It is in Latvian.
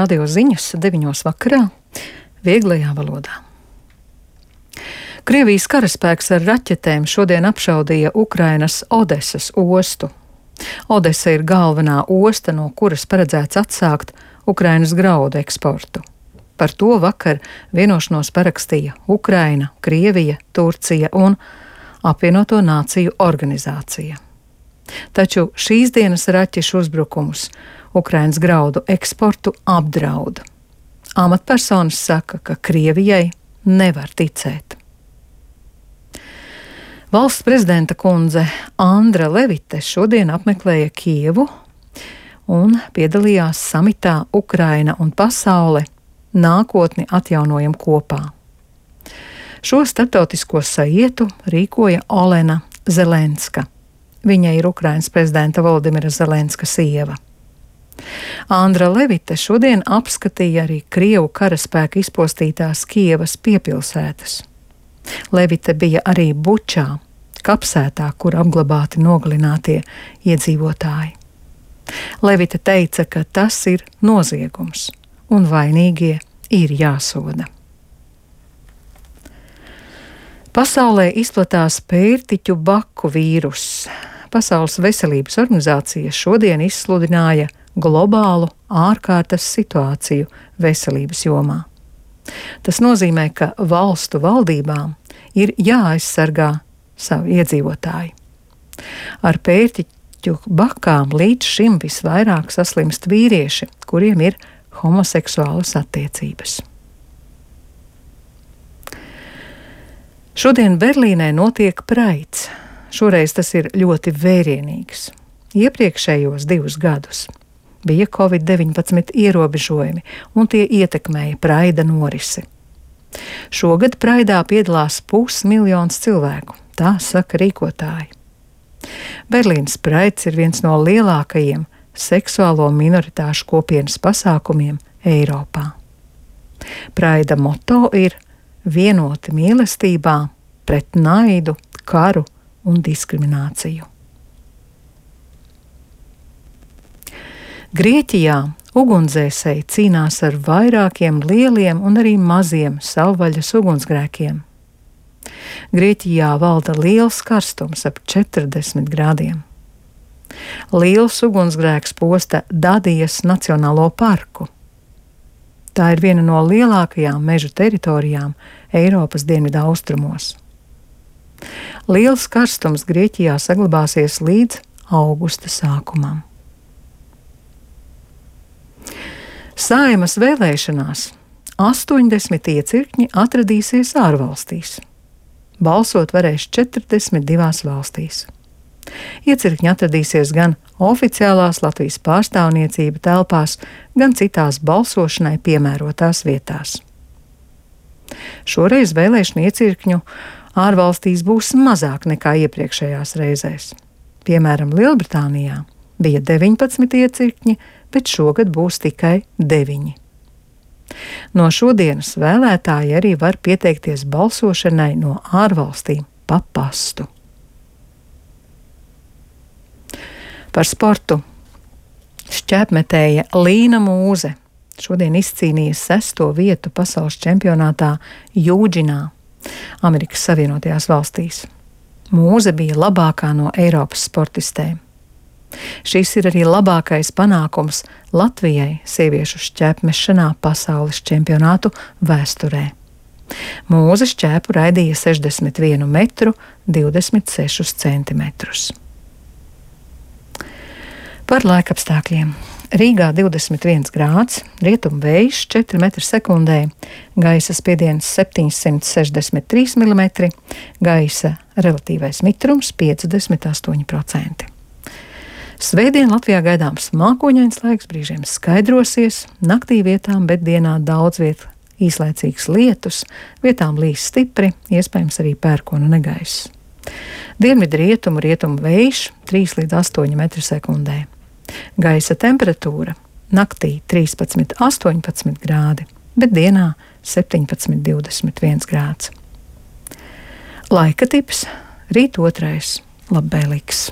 Radio ziņas 9 vakarā, vieglajā valodā. Krievijas karaspēks ar raķetēm šodien apšaudīja Ukrainas Odesas ostu. Odesa ir galvenā osta, no kuras paredzēts atsākt Ukrainas graudu eksportu. Par to vakar vienošanos parakstīja Ukraina, Krievija, Turcija un Apvienoto Nāciju organizācija. Taču šīs dienas raķešu uzbrukumus Ukrainas graudu eksportu apdraud. Amatpersonas saka, ka Krievijai nevar ticēt. Valsts prezidenta kundze Andra Levite šodien apmeklēja Kijevu un piedalījās samitā Ukraina un pasaule nākotni atjaunojam kopā. Šo starptautisko saietu rīkoja Olena Zelenska. Viņa ir Ukrainas prezidenta Volodimira Zelenska sieva. Andra Levite šodien apskatīja arī Krievu karaspēka izpostītās Kijevas piepilsētas. Levite bija arī Bučā, kapsētā, kur apglabāti nogalinātie iedzīvotāji. Levite teica, ka tas ir noziegums un vainīgie ir jāsoda. Pasaulē izplatās pērtiķu baku vīruss. Pasaules veselības organizācija šodien izsludināja globālu ārkārtas situāciju veselības jomā. Tas nozīmē, ka valstu valdībām ir jāaizsargā savi iedzīvotāji. Ar pērtiķu bakām līdz šim visvairāk saslimst vīrieši, kuriem ir homoseksuālas attiecības. Šodien Berlīnē notiek Praids. Šoreiz tas ir ļoti vērienīgs. Iepriekšējos 2 gadus bija Covid-19 ierobežojumi, un tie ietekmēja Praida norisi. Šogad Praidā piedalās 500 000 cilvēku, tā saka rīkotāji. Berlīnas Praids ir viens no lielākajiem seksuālo minoritāšu kopienas pasākumiem Eiropā. Praida moto ir vienoti mīlestībā pret naidu, karu un diskrimināciju. Grieķijā ugunsdzēsēji cīnās ar vairākiem lieliem un arī maziem savvaļas ugunsgrēkiem. Grieķijā valda liels karstums ap 40 grādiem. Liels ugunsgrēks posta Dadijas Nacionālo parku. Tā ir viena no lielākajām meža teritorijām Eiropas dienvidu austrumos. Liels karstums Grieķijā saglabāsies līdz augusta sākumam. Saeimas vēlēšanās 80 iecirkņi atradīsies ārvalstīs. Balsot varēs 42 valstīs. Iecirkņi atradīsies gan oficiālās Latvijas pārstāvniecība telpās, gan citās balsošanai piemērotās vietās. Šoreiz vēlēšanu iecirkņu ārvalstīs būs mazāk nekā iepriekšējās reizēs. Piemēram, Lielbritānijā bija 19 iecirkņi, bet šogad būs tikai 9. No šodienas vēlētāji arī var pieteikties balsošanai no ārvalstīm pa pastu. Par sportu. Šķēpmetēja Līna Mūze šodien izcīnīja 6. vietu pasaules čempionātā Jūdžinā, Amerikas Savienotajās valstīs. Mūze bija labākā no Eiropas sportistēm. Šis ir arī labākais panākums Latvijai sieviešu šķēpmešanā pasaules čempionātu vēsturē. Mūze šķēpu raidīja 61 metru 26 centimetrus. Par laikapstākļiem. Rīgā 21 grāds, rietumu vējš 4 metri sekundē, gaisa spiediens 763 mm, gaisa relatīvais mitrums 58%. Svētdien Latvijā gaidāms mākoņains laiks, brīžiem skaidrosies, naktī vietām, bet dienā daudz viet īslaicīgs lietus, vietām līs stipri, iespējams arī pērkona negaiss. Dienvidu rietumu vējš 3 līdz 8 metri sekundē. Gaisa temperatūra naktī 13–18 grādi, bet dienā 17–21 grāds. Laika tips rīt 2. labvēlīgs.